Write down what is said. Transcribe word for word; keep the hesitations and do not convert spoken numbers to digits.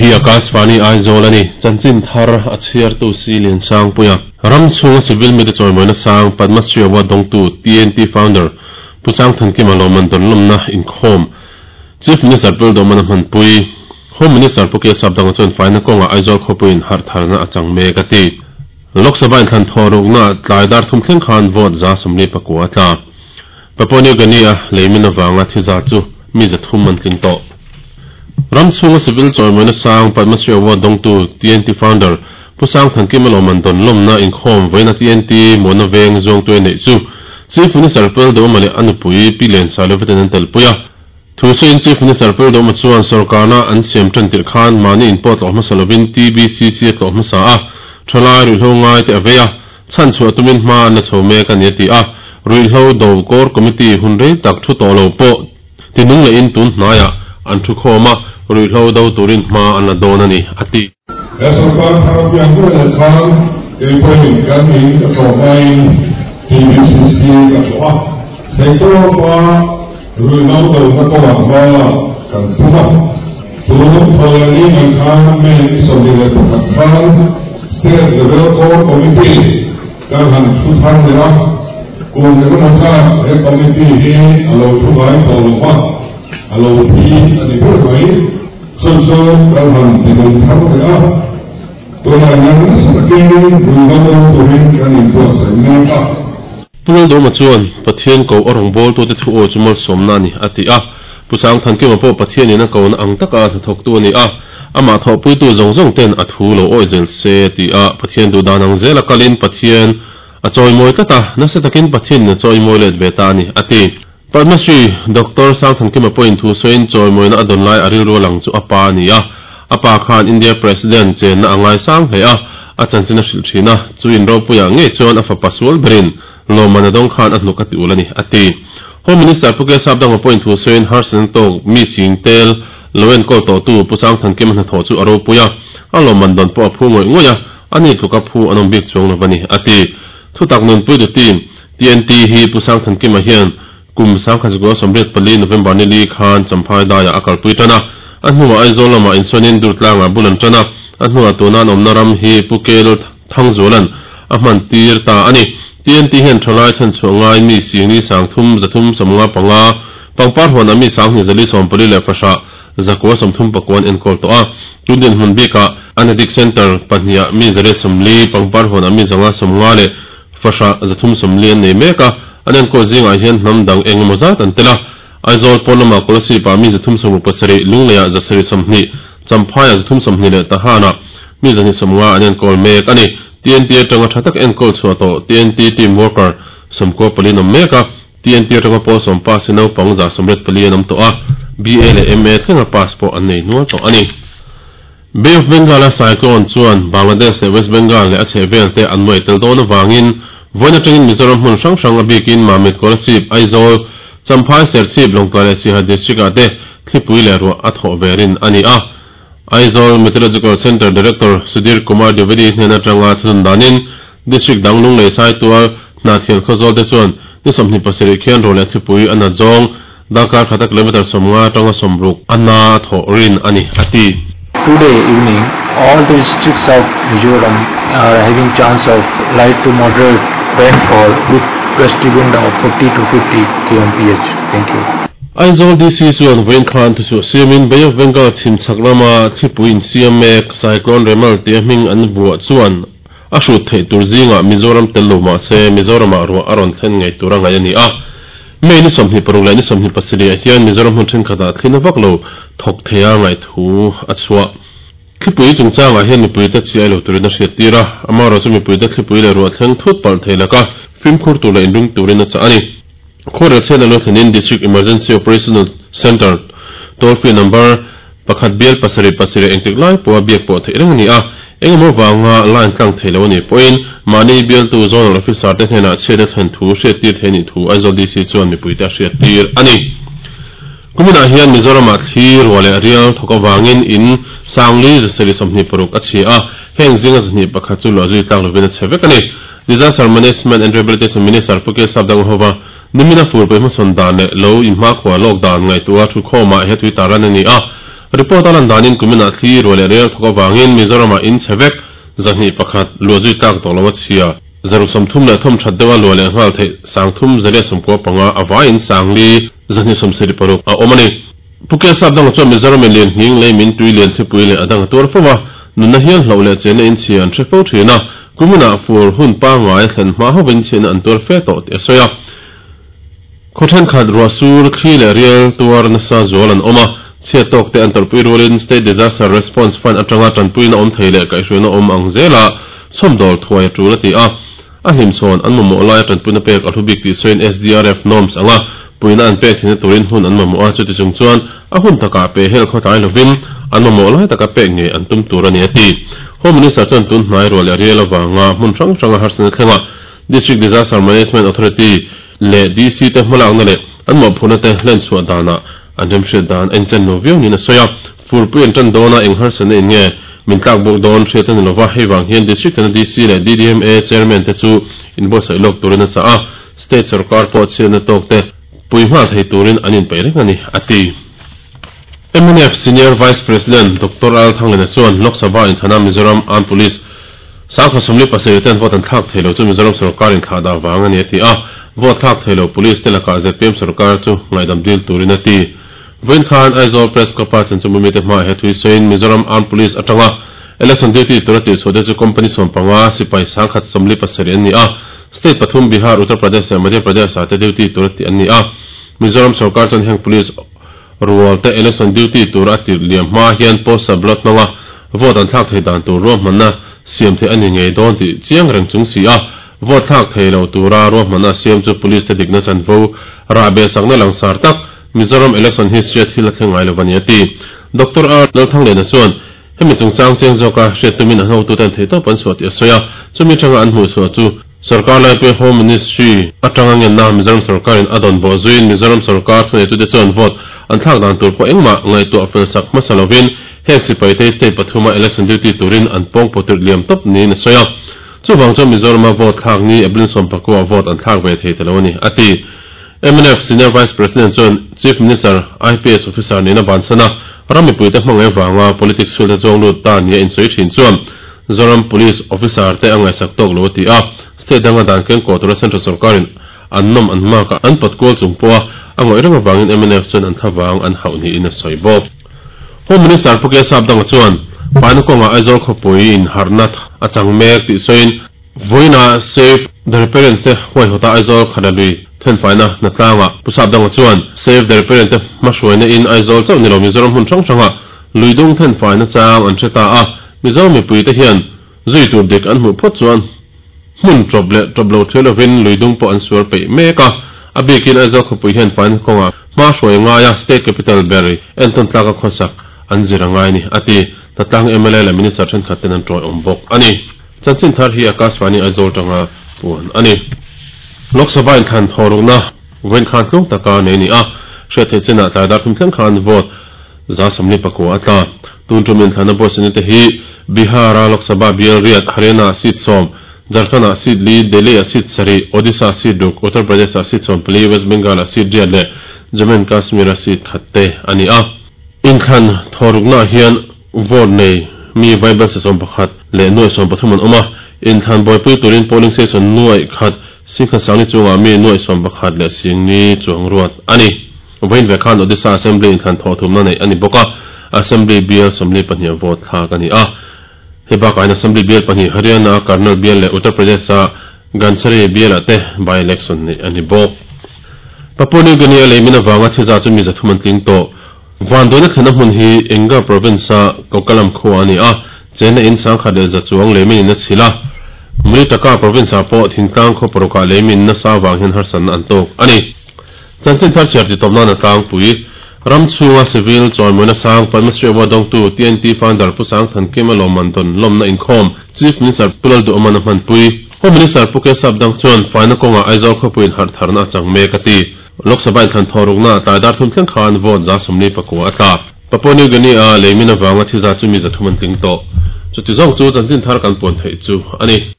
Hei hi Akashvani Aizawl a ni. Chanchin thar a chhiartu si Lian Sangpuia. Ram chhunga civil mite chawimawina sang Padma Shri Award dawngtu T N T founder Pu Sangthankima Lawman Dawnlawmna inkhawm Chief Minister Pu Lalduhmana Hmanpui Home Minister Pu K Sapdanga chuan faina kawnga Aizawl khawpuiin harh tharna a chang mek a ti. Lok Sabha inthlan thaw rukna tlai dar thum thleng khan vote za sawmli pakua a tla. Papua New Guinea a leimin avanga thi za chu mi za thum an tling tawh. Ram chhunga civil chawimawina sang Padma Shri Award dawngtu T N T founder Pu Sangthankima Lawman Dawnlawmna inkhawm vawiina T N T Muana Veng zawngtu a neih chu Chief Minister Pu Lalduhma leh a nupui Pi Lian Sailovaten an telpui a. Thu sawiin Chief Minister Pu Lalduhma chuan sorkarna an siam tan tirh khan mahni inpawh tlawh hmasa lovin T B C C a tlawh hmasa a, thalai ruihhlo ngai te a vei a, chhan chhuah tumin hma an la chho mek a ni a ti a. Ruihhlo do core committee hun rei tak thu tawh lo pawh tinung leh in tun hnaiah an thu khawm a, ruihhlo do turin hma an la dawn a ni a ti. He sorkar thar pian duh leh khan keipawhin kan in ka tlawh hmain T B C C ka tlawh a, theihtawpa ruihhlo dona kawngah hma kan tum a. Tun thawleh ni mai khan May ni sawmhnih leh pakhat khan State Level Core Committee kan han thu thar leh a, kum engemaw zat he committee hi a lo thu ngai tawh lo va, a lo thi a ni ber mai. Chu chu kan han tinung thar leh a, tunah hian nasa takin ruihhlo do turin kan inbuatsaih mek a. Pu Lalduhma chuan Pathian ko a rawngbawltute thu aw chu malsawmna a ni a ti a. Pu Sangthankima pawh Pathianin a kona ang taka hnathawktu a ni a, amah thawhpuitu zawng zawng ten a thu lo awi zel se a ti a. Pathian duh dan ang zel a kalin Pathian a chawimawi tlat a, nasa takin Pathianin a chawimawi let ve ta a ni a ti. Padma Shri Doctor Sangthankima pawhin thu sawiin chawimawina a dawn lai a rilru a lang chu a pa a ni a. A pa khan India President chenna a ngai sang hle a, a chanchin a hrilh thin a, chu in ropuiah ngei chuan a fapa sual berin Lawman a dawng khan a hnuk a ti ul a ni a ti. Home Minister Pu K Sapdanga pawhin thu sawiin harsatna tawk mi sing tel lo enkawl tawhtu Pu Sangthankima hnathawh chu a ropui a, a lawmman dawn pawh a phu ngawih ngawih a, ani tluka phu an awm bik chuang lo a ni a ti. Thutak nunpuitu team T N T hi Pu Sangthankima hian kum sangkhat zakua sawmriat pali November ni li khan Champhai daiah a kalpui tan a, a hnuah Aizawl lamah insawiin Durtlangah bul an tan a, a hnuah tuna an awmna ram hi Pu Kel Thangzualan a hman tir ta a ni. T N T hian thalai chhan chhuah ngai mi singni sang thum zathum sawmnga panga pangpar huanah mi sanghnih zali sawm pali leh fahrah zakua sawmthum pakuan enkawl tawh a. Tun dinhmun bikah an addict center pahniha mi zariat sawmli pangpar huanah mi zanga sawmnga leh fahrah zathum sawmli an nei mek a, an enkawl zingah hian hnam dang eng emaw zat an tel a. Aizawl pawn lamah Kolasib-ah mi zathum sawmruk pasarih, Lungleiah zasarih sawmhnih, Champhaiah zathum sawmhnih leh Tahanah mi zahnih sawmnga an enkawl mek a ni. T N T atanga tha tak enkawl chhuah tawh T N T team worker sawmkua pali an awm mek a, T N T atanga pawl sawm pass hi naupang za sawmriat pali an awm tawh a, B A leh M A thlenga pass pawh an nei nual tawh a ni. Bay of Bengal-a cyclone chuan Bangladesh leh West Bengal leh a chhehvel te an nuai tel dawn avangin vawiin atangin Mizoram hmun hrang hrang a bikin Mamit, Kolasib, Aizawl, Champhai, Serchhip, Lawngtlai leh Siaha district-ah te thlipui leh ruah a thawh ve rin a ni a. Aizawl Meteorological Centre Director Sudhir Kumar Dwivedi hnen atanga thunun danin district dang Lunglei Saitual Hnahthial Khawzawl te chuan ni sawmhnih pasarih khian ruah leh thlipui a nat zawng darkar khata kilometre sawmnga atanga sawmruk a na thawh rin a ni a ti. Today evening, all the districts of Mizoram are having chance of light to moderate rainfall with gusty wind of forty to fifty kilometers per hour. Thank you. Aizawl D C chuan vawiin khan thuchhuah siamin Bay of Bengal chhimchhak lama thlipui insiam mek Cyclone Remal tia hming an vuah chuan a hrut theih tur zingah Mizoram tel lo mahse Mizoramah ruah a rawn thlen ngei tur a ngaih a ni a. May ni sawmhnih paruk leh ni sawmhnih pasarih ah hian Mizoram hmun thenkhatah thlin a vak lo thawk thei a ngaih thu a chhuah. Thlipui chungchangah hian mipuite chi ai lo turin a hriat tir a, amaherawhchu chu mipuite thlipui leh ruah thleng thut palh thei laka fimkhur tur leh inring turin a chah a ni. Khuarel chhiatna lo thlenin District Emergency Operational Centre toll free number pakhat bial pasarih pasarih engtik lai pawha biak pawh theih reng a ni a, engemaw vanga line tlang thei lo a nih pawhin mahni bialtu zonal officer te hnenah chhiatna thlen thu hriat tir thei a nih thu Aizawl D C chuan mipuite a hriat tir a ni. Kuminah hian Mizoramah thli ruah leh rial thawk avangin in sangli zasarih sawmhnih paruk a chhia a, heng zinga zahnih pakhat chu luahzui tlak lovin a chhe vek a ni. Disaster Management and Rehabilitation Minister Pu K Sapdanga hova nimina fur pawih hmasawn dan leh lo inhmakhua lawk dan ngaihtuah thu khawmah he tui taran a ni a. Report alan danin kumina thli ro le rel thoka wangin Mizoram in chevek zahni pakhat lozui tak tolowa chhia zaruk somthum le thom thatdewa lo le ngal the sangthum zale somko panga awain sangli zahni somseri paruk a omani Puke sabdang chu Mizoram lian hing le min tui lian thipui le adang tur fowa nunna hian hlo le chena in chian threfo thina kumuna fur hun pa ngai thlen ma ho win chen an tur fe to te soya khothan khat rosur thli le rial tuar na sa zolan oma che tok te an torpui rolin State Disaster Response Fund atanga tanpui na om theile kai hruina om ang zela somdol thuai tu la ti a a him chon an mo lai tanpui na pek athubik ti soin S D R F norms anga puina an pek thina turin hun an mo a chuti chung chuan a hun taka pe hel khotai lovin an mo lai taka pe nge an tum tur ani ati Home Minister chan tun hnai ro le rial awanga mun rang ranga harsan thlenga District Disaster Management Authority le D C te hmalak na le an mo phuna te hlen chhuah dana an remhriat dan en chen lo viau ni na soya furpui an tan dona eng harsan in nge min tlak bawk dawn hriat ani lova hei wang hian district na D C le D D M A chairman te chu inbuatsaih lawk turin a chah a state sarkar pawh chhiatna tawk te pui hma thei turin an inpeih reng ani ati M N F Senior Vice President Doctor Al Thanglena chuan Lok Sabha in Thana Mizoram Armed Police Sangkha Somli pasarih ten vote an thlak theilo chu Mizoram sarkar in thlah dah wang ani ati a vote thlak theilo police te lakah Z P M sarkar chu ngaidam dil turin ati Vain Khan Aizawl Press Club chan chu mumi te hma he thui soin Mizoram Armed Police atanga election duty turati chhode chu company sompanga sipai sangkhat somli pasarih ani a state pathum Bihar Uttar Pradesh Madhya Pradesh ate duty turati ani a Mizoram sarkar chan heng police rual te election duty tur ati liam hma hian post blot nanga vote an thlak thei dan tur ruam manna siam the ani ngei dawn ti chiang reng chung si a vote thlak thei lo tura ruam manna siam chu police te dikna chan vo ra be sakna langsar tak Mizoram election history thil thleng ngai lovani ati Doctor R Lalthanglena chuan hemi chungchang cheng zawka hriat tumin an hotu ten thei tawp an chhuah ti a sawi a chumi tanga an hmuh chhuah chu sarkar lai pe Home Ministry atanga ngen na Mizoram sarkarin a dawn bawh zuiin Mizoram sarkar thunei tute chuan vote an thlak dan tur pawh engmah ngaihtuah fel sak hmasa lovin heng sipai te state pathuma election duty turin an pawng pawh tir liam tawp niin a sawi a chuwang chuan Mizorama vote thlak ni April sawmpakua vote an thlak ve thei talo ani ati M N F Senior Vice President chuan Chief Minister I P S Officer nina bansana rami puite hmangai wanga politics field zawng lut ta nia in soi thin chuan Zoram Police Officer te angai sak tok lo ti a state danga dan ken ko tura central sarkarin an nom an ma ka an patkol chung poa angoi ranga wangin M N F chuan an thawang an hauni in a soi bawk Home Minister Puke Sabdang chuan Panukonga Aizawl khawpui in harnat achang mek ti soin voina save the parents te huai hota Aizawl khanalui thenfaina natlanga pusabdang chuan save the parent te hmahruaina in Aizawl chauh nilo Mizoram hun hrang hranga luidung thenfaina chang an hreta a Mizoram mipui te hian zui tur dik an hmuh phawt chuan hmun tawp leh tawp lo thil lovin luidung pawh an suar peih mek a a bikin Aizawl khawpui hian faina kawnga hmahruai ngaia state capital ber enton tlaka khawsak an zira ngai ni ati tatlang M L A le minister thenkhat ten an tawi awm bawk ani chanchin thar hi Akashvani Aizawl tanga puan ani Lok Sabha in than thorukna vain khan tlung taka nei ni a hriat thei chena tlai dar thum thleng khan vote za samli pakua atla tun tumin thana bawsani te hi Bihara Lok Sabha bial riat Haryana seat som Jharkhand seat li Delhi seat sari Odisha seat duk Uttar Pradesh seat som pali West Bengal seat riat le Jammu and Kashmir seat khatte ani a in khan thorukna hian vote nei mi vaibel se som pakhat le noi som pathum an awm a in than boipui turin polling station nuai khat singkha sangni chunga mi nuai som pakhat le singni chuang ruat ani vain ve khan Odisha Assembly in than tho thum na nei ani boka Assembly bill somli pahnih vote thlak ani a heba kain Assembly bill pahnih Haryana Karnal bill le Uttar Pradesh a Gansari bill ate by election ni ani bawk Papua New Guinea le mina wanga thiza chu mi zathuman tling to Vandona thana hmun hi Enga province a Kokalam khuwa ani a chena in sangkhat le za chuang le min na chhila Mulitaka province a pawh thingtlang khaw parukah le min na sa wang hian harsan an tawk ani chanchin thar chhiar ti tawpna na tlangpui ram chhunga civil chawimawina sang Padma Shri Award dawngtu T N T founder Pu Sangthankima Lawman dawn lawmna inkhawm Chief Minister Pu Lalduhawma na hmanpui Home Minister Pu Ke Sabdang chuan faina kawnga Aizawl khawpuiin harh tharna achang mek ati Lok Sabha in than thorukna tlai dar thum thleng khan vote za somli pakua atla Papua New Guinea a leimina wanga thiza chu mi zathuman tling tawh chuti zawng chu chanchin thar kan puan theih chu ani.